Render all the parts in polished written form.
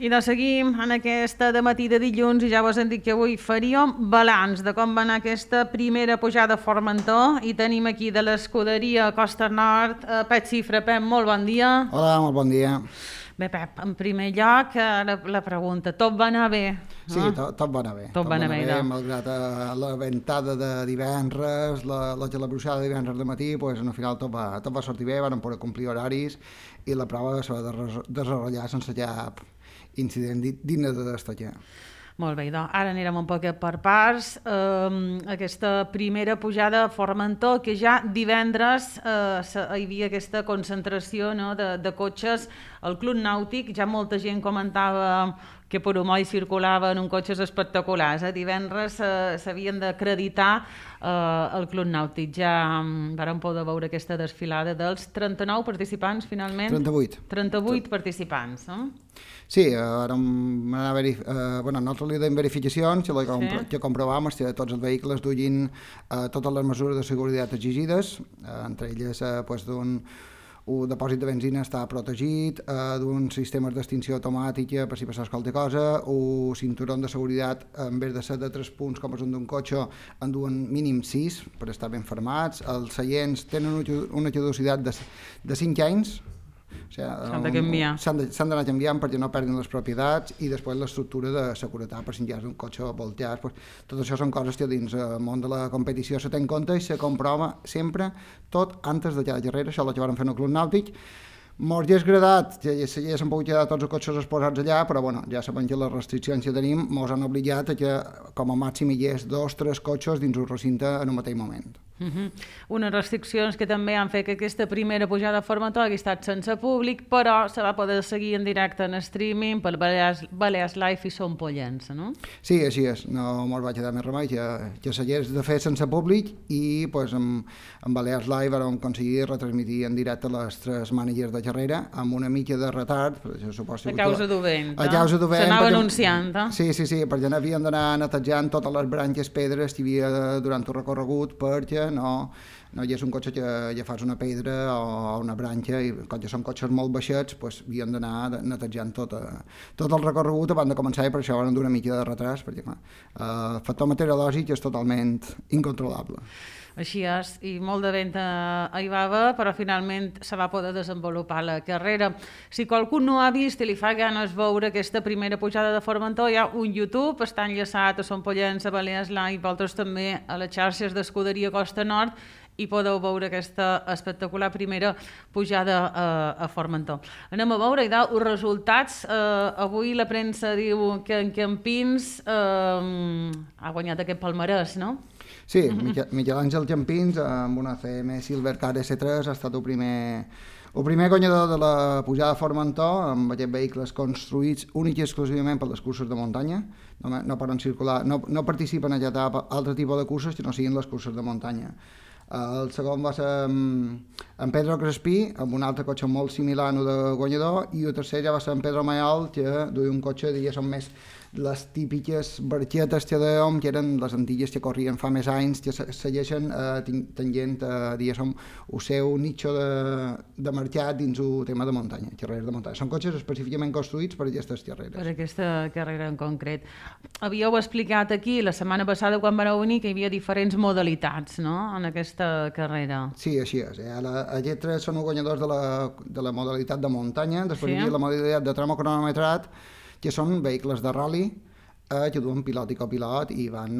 I doncs seguim en aquesta dematí de dilluns i ja vos hem dit que avui faríem balanç de com va anar aquesta primera pujada a Formentor i tenim aquí de l'escuderia Costa Nord Pep Cifra. Pep, molt bon dia. Hola, molt bon dia. Bé, Pep, en primer lloc la pregunta, tot va anar bé? Sí, tot va anar bé. Tot va anar bé, malgrat la ventada de divendres, la gelabruixada de divendres de matí, pues, al final tot va sortir bé, van poder complir horaris i la prova se va desenvolupar sense cap incident digne de destacar. Molt bé, doncs ara anirem un poc per parts. Aquesta primera pujada a Formentor, que ja divendres hi havia aquesta concentració, no, de cotxes al Club Nàutic. Ja molta gent comentava que per Homoll circulaven uns cotxes espectaculars. Divendres s'havien d'acreditar al Club Nàutic. Ja vàrem poder veure aquesta desfilada dels 39 participants, finalment. 38 participants, no? Sí, nosaltres li donem verificacions que comprovàvem que tots els vehicles duien totes les mesures de seguretat exigides, entre elles d'un depòsit de benzina està protegit, d'un sistema d'extinció automàtica per si passés qualsevol cosa, un cinturó de seguretat en vez de ser de 3 punts com és un d'un cotxe en duen mínim 6 per estar ben fermats. Els seients tenen una caducitat de 5 anys. S'han de canviar. S'han d'anar canviant perquè no perdin les propietats i després l'estructura de seguretat per si hi ha un cotxe volteat. Tot això són coses que dins el món de la competició se té en compte i se comprova sempre tot antes de cada carrera. Això és el que vam fer en el Club Nàutic. Mos hauria agradat que s'haguessin pogut quedar tots els cotxes exposats allà, però ja sabem que les restriccions que tenim mos han obligat a que com a màxim hi hagués 2 o 3 cotxes dins un recinte en un mateix moment. Unes restriccions que també han fet que aquesta primera pujada a Formentor hagi estat sense públic, però se va poder seguir en directe en streaming per Balears Live i Som Pollença, no? Sí, així és, no mos va quedar més remei que s'hagués de fer sense públic i en Balears Live vam aconseguir retransmitir en directe les 3 mànigues de carrera amb una mica de retard. A causa d'un vent, a causa d'un vent. S'anava anunciant, Sí, perquè havíem d'anar netejant totes les branques, pedres que hi havia durant el recorregut perquè no hi és un cotxe que ja fas una pedra o una branca i com que són cotxes molt baixets havíem d'anar netejant tot el recorregut abans de començar i per això van donar una mica de retras perquè el factor meteorològic és totalment incontrolable. Així és, i molt de vent hi va haver, però finalment se va poder desenvolupar la carrera. Si qualcú no ha vist i li fa ganes veure aquesta primera pujada de Formentor, hi ha un YouTube, està enllaçat a Som Pollença, a Balears Live, i vosaltres també a les xarxes d'Escuderia Costa Nord, i podeu veure aquesta espectacular primera pujada a Formentor. Anem a veure els resultats. Avui la premsa diu que en Campins ha guanyat aquest palmarès, no? Sí, Miquel Àngel Campins amb una CM Silvercar S3 ha estat el primer guanyador de la pujada a Formentor amb aquests vehicles construïts únic i exclusivament per les curses de muntanya. No poden circular, no participen en aquest altre tipus de curses que no siguin les curses de muntanya. El segon va ser en Pedro Crespí, amb un altre cotxe molt similar al de guanyador, i el tercer ja va ser en Pedro Mayol, que duia un cotxe, diguéssim, més les típiques barquetes que dèiem, que eren les antigues que corrien fa més anys, que segueixen tenint, diguéssim, el seu nicho de mercat dins el tema de muntanya, carreres de muntanya. Són cotxes específicament construïts per aquestes carreres. Per aquesta carrera en concret. Havíeu explicat aquí la setmana passada quan vareu venir que hi havia diferents modalitats, no?, en aquesta carrera. Sí, així és. Aquests 3 són els guanyadors de la modalitat de muntanya, després hi havia la modalitat de tramo cronometrat, que són vehicles de rally que duen pilot i copilot i van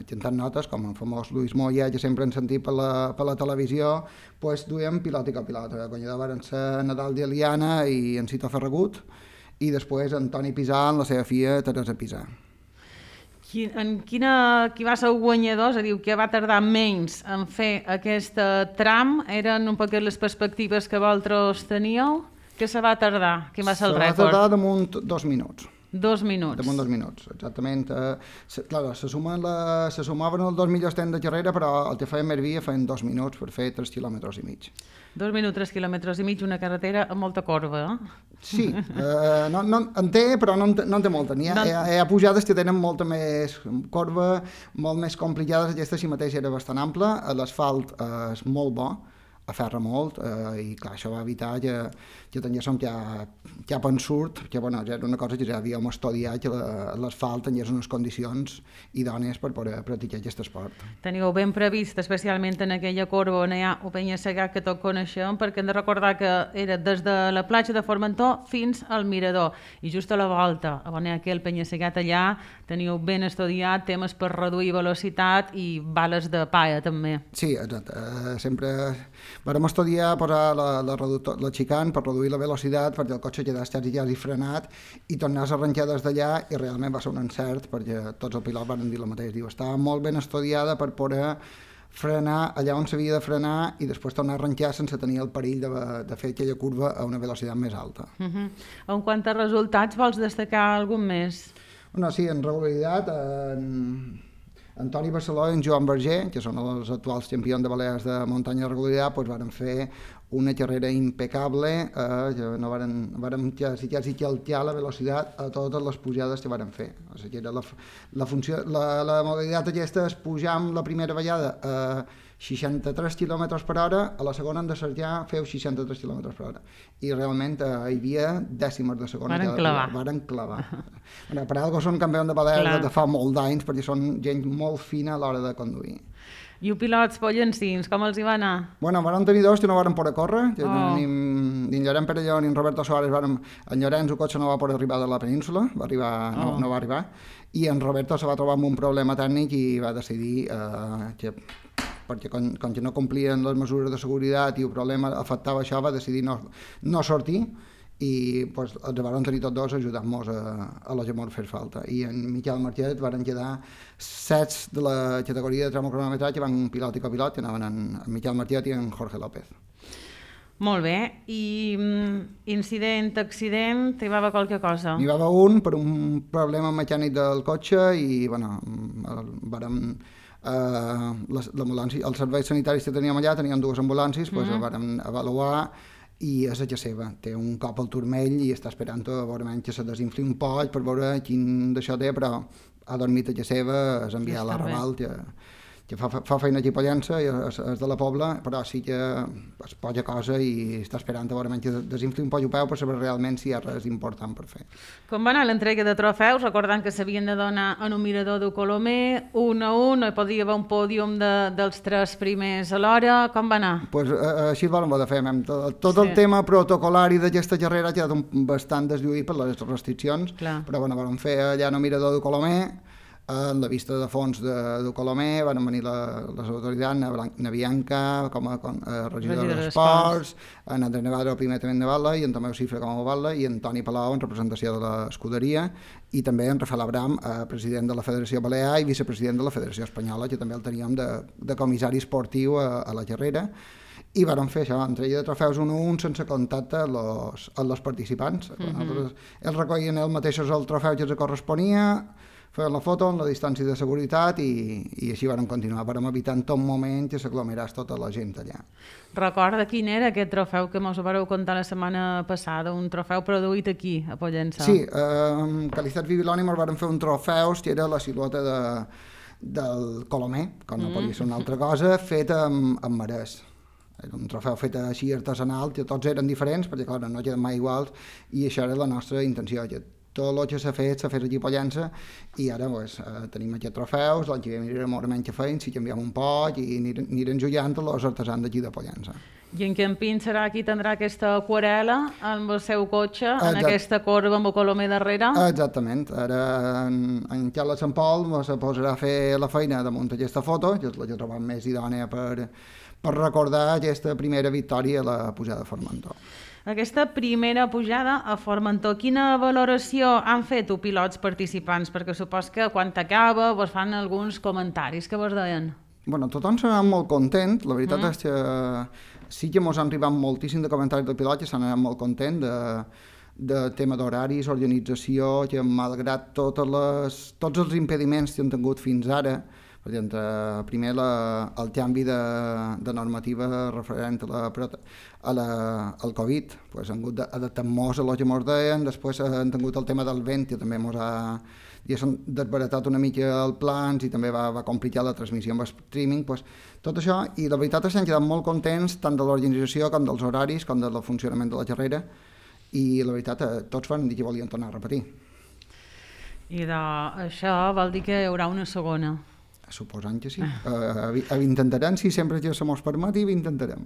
cantant notes, com el famós Luis Moya, que sempre hem sentit per la televisió, duien pilot i copilot. El guanyador van ser Nadal d'Eliana i en Cito Ferragut, i després Antoni Pisà en la seva filla Teresa Pisà. Qui va ser el guanyador? És a dir, que va tardar menys en fer aquest tram? Eren un poc les perspectives que vosaltres teníeu? Què se va tardar? Quin va ser el rècord? Se va tardar damunt 2 minuts. 2 minuts. Damunt 2 minuts, exactament. Se sumaven els 2 millors temps de carrera, però el que feien més via feien 2 minuts per fer 3 quilòmetres i mig. 2 minuts, 3 quilòmetres i mig, una carretera amb molta corba, Sí, en té, però no en té molta. Hi ha pujades que tenen molta més corba, molt més complicades. Aquesta si mateix era bastant ampla, l'asfalt és molt bo, aferra molt i clar, això va evitar que tinguéssim cap ensurt, que bueno, ja era una cosa que ja havíem estudiat, que l'asfalt tingués unes condicions idònies per poder practicar aquest esport. Teniu ben previst, especialment en aquella corba on hi ha el penya-segat que tots coneixem, perquè hem de recordar que era des de la platja de Formentor fins al mirador, i just a la volta, on hi ha aquell penya-segat allà, teniu ben estudiat temes per reduir velocitat i bales de palla també. Sí, exacte. Sempre vam estudiar posar la xicant per reduir la velocitat perquè el cotxe quedés quasi frenat i tornàs a arrencar des d'allà, i realment va ser un encert perquè tots els pilots van dir el mateix. Diu, estava molt ben estudiada per poder frenar allà on s'havia de frenar i després tornar a arrencar sense tenir el perill de fer aquella curva a una velocitat més alta. En quant a resultats, vols destacar algun més? No, sí, en regularitat, en Toni Barceló i en Joan Berger, que són els actuals campions de Balears de muntanya de regularitat, doncs varen fer una carrera impecable, varen quasi calcar la velocitat a totes les pujades que varen fer. O sigui, era la modalitat aquesta és pujar la primera vegada a 63 km per hora, a la segona en desarjar feu 63 km per hora. I realment hi havia dècimes de segona. Varen clavar. Bueno, per algo són campions de Balears de fa molt d'anys, perquè són gent molt fina a l'hora de conduir. I els pilots pollancins, com els hi va anar? Bueno, vam tenir dos que no varen poder córrer, ni en Llorenç Perelló ni en Roberto Suárez en Llorenç el cotxe no va poder arribar de la península, no va arribar, i en Roberto se va trobar amb un problema tècnic i va decidir perquè com que no complien les mesures de seguretat i el problema afectava això, va decidir no sortir, i pues, els van tenir tots dos ajudant-nos a la que mos fes falta. I en Miquel Marquet van quedar 7 de la categoria de tramo-cronometratge, van pilot i copilot, que anaven en Miquel Marquet i en Jorge López. Molt bé, i incident, accident, hi va haver qualque cosa? N'hi va haver un per un problema mecànic del cotxe i bueno, els serveis sanitaris que teníem allà, teníem 2 ambulàncies, doncs el vam avaluar i és a casa seva, té un cop al turmell i està esperant a veure que se desinfli un poc per veure quin d'això té, però ha dormit a casa seva, és enviat a la Raval, que fa feina aquí a Pollença, és de la Pobla, però sí que és poca cosa i està esperant a veure que desinfli un poc el peu per saber realment si hi ha res important per fer. Com va anar l'entrega de trofeus, recordant que s'havien de donar en un mirador de Colomer, 1 a 1, hi podia haver un pòdium dels 3 primers alhora, com va anar? Pues així el vam haver de fer, tot el tema protocolari d'aquesta carrera ha quedat bastant deslluït per les restriccions, però bueno, vam fer allà en el mirador de Colomer, en la vista de fons de Colomer van venir les autoritats, na Bianca com a regidora d'Esports, en Andrés Navarro, primer tenent de Batlle, i en Tomeu Cifra com a Batlle, i en Toni Palau en representació de l'escuderia, i també en Rafael Abram, president de la Federació Balear i vicepresident de la Federació Espanyola, que també el teníem de comissari esportiu a la carrera. I vam fer això, entrega de trofeus 1 a 1 sense contacte amb els participants. Ells recollien ells mateixos el trofeu que els corresponia, feien la foto en la distància de seguretat i així vam continuar. Vam evitar en tot moment que s'aglomeràs tota la gent allà. Recorda quin era aquest trofeu que mos vareu contar la setmana passada, un trofeu produït aquí, a Pollença? Sí, amb Calitzat Bibiloni ens vam fer un trofeu que era la silueta del Colomer, com no podia ser una altra cosa, fet amb marès. Era un trofeu fet així artesanal, que tots eren diferents, perquè clar, no queden mai iguals, i això era la nostra intenció, que tot el que s'ha fet aquí a Pollença, i ara tenim aquests trofeus, l'any que ve mirarem què feim, si canviem un poc i anirem jugant els artesans d'aquí de Pollença. I en Campín serà qui tindrà aquesta aquarel·la amb el seu cotxe, en aquesta corba amb el Colomer darrere? Exactament. Ara en Carles Sant Pol se posarà a fer la feina damunt aquesta foto, que és la que trobem més idònia per recordar aquesta primera victòria a la pujada de Formentor. Aquesta primera pujada a Formentor, quina valoració han fet els pilots participants? Perquè supos que quan acaba vos fan alguns comentaris, que vos deien? Bueno, tothom s'ha anat molt content, la veritat és que sí que mos han arribat moltíssim de comentaris del pilot, que s'han anat molt content de tema d'horaris, organització, que malgrat tots els impediments que han tingut fins ara, per exemple, primer el canvi de normativa referent al Covid, han hagut d'adaptar-nos a el que ens deien, després han tingut el tema del vent, que també ens desbaratat una mica els plans i també va complicar la transmissió amb streaming, doncs, tot això, i la veritat és que hem quedat molt contents tant de l'organització com dels horaris com del funcionament de la xerrera, i la veritat tots van dir que volien tornar a repetir. I això vol dir que hi haurà una segona? Suposant que sí. Ho intentarem, si sempre que se mos permeti, ho intentarem.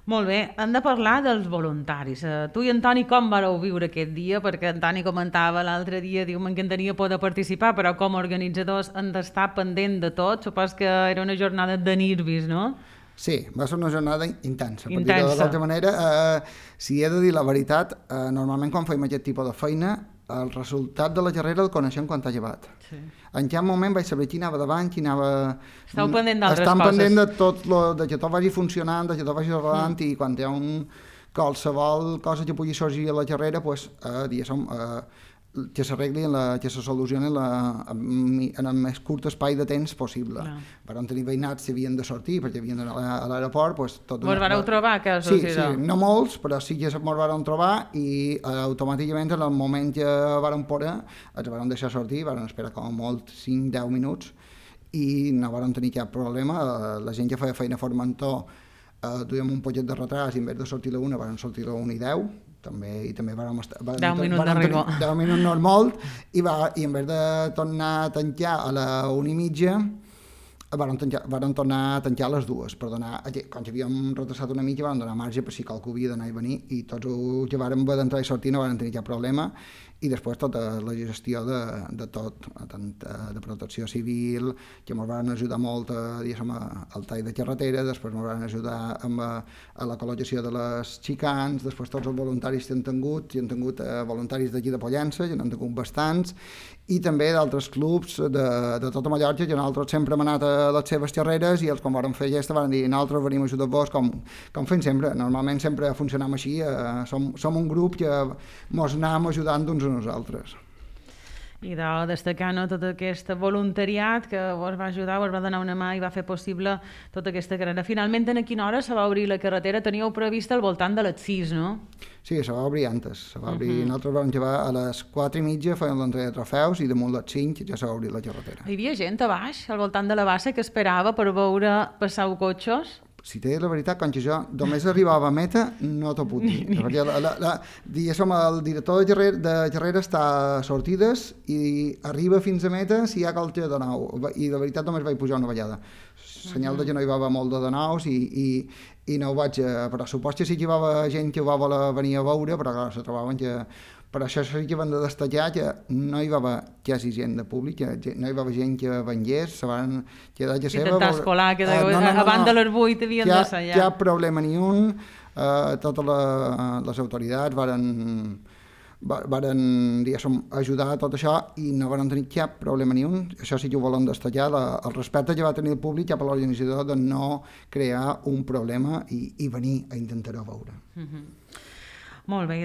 Molt bé, hem de parlar dels voluntaris. Tu i en Toni com vareu viure aquest dia? Perquè en Toni comentava l'altre dia, diu, m'encantaria poder participar, però com a organitzadors hem d'estar pendent de tot. Supos que era una jornada de nervis, no? Sí, va ser una jornada intensa. Per dir-ho de l'altra manera, si he de dir la veritat, normalment quan fem aquest tipus de feina, el resultat de la carrera el coneixem quan t'ha llevat. Sí. En cap moment vaig saber qui anava davant, qui anava... Estàu pendent d'altres coses. Estan pendent de tot, de que tot vagi funcionant, de que tot vagi rodant, i quan hi ha qualsevol cosa que pugui sorgir a la carrera, pues, diguéssim, que s'arregli, que se solucioni en el més curt espai de temps possible. Vam tenir veïnats que havien de sortir perquè havien d'anar a l'aeroport. Pues, vos vareu trobar? Sí, no molts, però sí que ens vam trobar, i automàticament en el moment que vam poder ens vam deixar sortir, vam esperar com a molt 5-10 minuts i no vam tenir cap problema. La gent que feia feina a Formentor duíem un poquet de retras, i en vez de sortir a la 1 vam sortir a la 1:10, i també vam estar... 10 minuts d'arribo. 10 minuts no és molt, i en vez de tornar a tancar a la 1:30, varen tornar a tancar a les 2, per donar, quan havíem retrasat una mica, varen donar marge per si qualcú havia d'anar i venir, i tots els que varen haver d'entrar i sortir no varen tenir cap problema, i després tota la gestió de tot, tant de protecció civil, que ens van ajudar molt al tall de carretera, després ens van ajudar a la col·locació de les xicans, després tots els voluntaris que han tingut voluntaris d'aquí de Pollença, que n'han tingut bastants, i també d'altres clubs de tota Mallorca, que nosaltres sempre hem anat a les seves carreres, i els quan vam fer aquesta van dir nosaltres venim a ajudar-vos, com fem sempre. Normalment sempre funcionam així, som un grup que mos anem ajudant uns a nosaltres. I de destacar tot aquest voluntariat que vos va ajudar, vos va donar una mà i va fer possible tota aquesta carrera. Finalment, a quina hora se va obrir la carretera? Teníeu prevista al voltant de les 6, no? Sí, se va obrir antes. Nosaltres vam llevar a les 4:30, fèiem l'entrega de trofeus, i damunt les 5 ja se va obrir la carretera. Hi havia gent a baix, al voltant de la bassa, que esperava per veure passar cotxes? Si t'he la veritat, quan jo només arribava a meta, no t'ho puc dir. Perquè el director de carrera està a sortides i arriba fins a meta si hi ha qualque de nou. I de veritat només vaig pujar una vegada. Senyal de que no hi va haver molt de nous i no ho vaig... Però supos que sí que hi va haver gent que ho va voler venir a veure, però clar, se trobaven que... Per això sí que van de destacar que no hi va haver quasi gent de públic, no hi va haver gent que vengués, se van quedar que seva... Intentar escolar, que abans de les 8 havien de ser ja. Cap problema ni un, totes les autoritats varen ajudar a tot això i no van tenir cap problema ni un. Això sí que ho volen destacar, el respecte que va tenir el públic cap a l'organitzador de no crear un problema i venir a intentar-ho veure. Molt bé,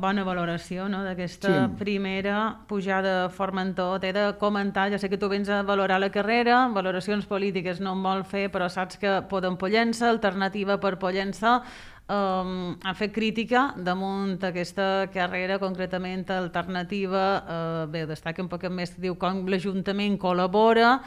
bona valoració d'aquesta primera pujada a Formentor. T'he de comentar, ja sé que tu vens a valorar la carrera, valoracions polítiques no en vol fer, però saps que Podem Pollença, Alternativa per Pollença, ha fet crítica damunt aquesta carrera, concretament Alternativa. Bé, destaca un poc més, diu com l'Ajuntament col·labora,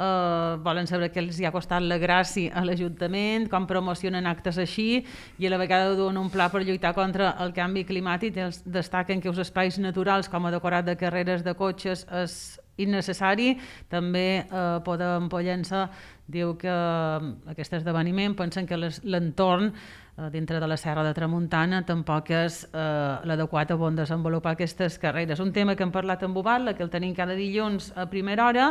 volen saber què els hi ha costat la gràcia a l'Ajuntament, com promocionen actes així, i a la vegada duen un pla per lluitar contra el canvi climàtic. Els destaquen que els espais naturals com a decorat de carreres de cotxes és innecessari. També Podem Pollença diu que aquest esdeveniment pensen que l'entorn dintre de la Serra de Tramuntana tampoc és l'adequat on desenvolupar aquestes carreres. Un tema que hem parlat amb Ubatla, que el tenim cada dilluns a primera hora,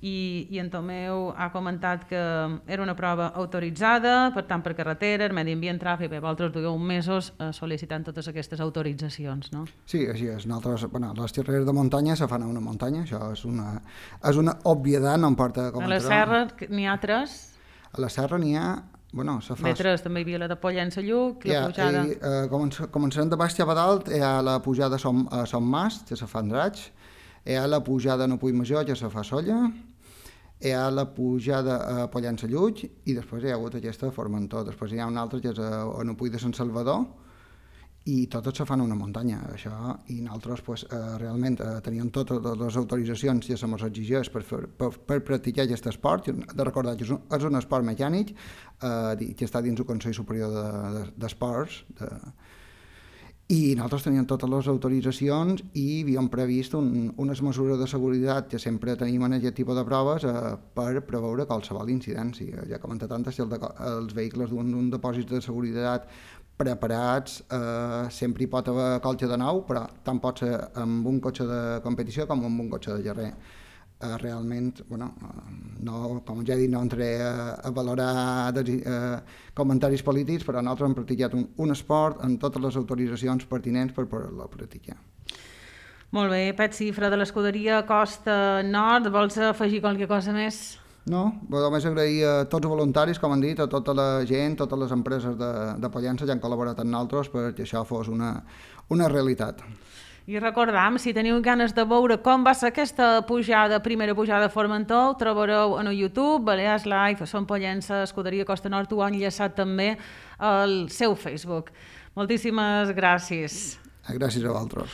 i en Tomeu ha comentat que era una prova autoritzada, per tant per carreteres, medi ambient, tràfic, bé, vosaltres dugueu mesos sol·licitant totes aquestes autoritzacions, no? Sí, així és. Les carreres de muntanya se fan a una muntanya, això és una obviedat, no em porta a comentar. A la Serra n'hi ha 3? A la Serra n'hi ha... Metres, també hi havia la de Pollença Lluc, la pujada... Començarem de baix cap a dalt, hi ha la pujada a Son Mas, que se fa Andratx, hi ha la pujada a Nopull Major, que se fa Solla, hi ha la pujada a Pollença Lluc, i després hi ha hagut aquesta a Formentor. Després hi ha una altra que és a Nopull de Sant Salvador, i totes se fan una muntanya, això, i nosaltres pues, realment teníem totes les autoritzacions que se mos exigeix per practicar aquest esport. De recordar que és un esport mecànic que està dins el Consell Superior d'Esports, i nosaltres teníem totes les autoritzacions i havíem previst unes mesures de seguretat que sempre tenim en aquest tipus de proves per preveure qualsevol incidència. Ja he comentat antes que els vehicles d'un dipòsit de seguretat preparats sempre hi pot haver colxa de nou, però tant pot ser amb un cotxe de competició com amb un cotxe de carrer. Realment, bueno, no, com ja he dit, no entraré a valorar comentaris polítics, però nosaltres hem practicat un esport amb totes les autoritzacions pertinents per poder-lo practicar. Molt bé, Pet Cifra de l'escuderia Costa Nord, vols afegir qualque cosa més? No, només agrair a tots els voluntaris, com han dit, a tota la gent, totes les empreses de Pollença que han col·laborat amb nosaltres perquè això fos una realitat. I recordam, si teniu ganes de veure com va ser aquesta primera pujada a Formentor, ho trobareu en el YouTube, Balears Live, Som Pollença, Escuderia Costa Nord, ho han enllaçat també al seu Facebook. Moltíssimes gràcies. Gràcies a vosaltres.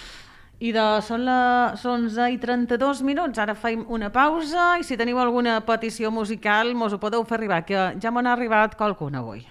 I són les 11:32, ara fem una pausa i si teniu alguna petició musical mos ho podeu fer arribar, que ja m'han arribat qualcuna avui.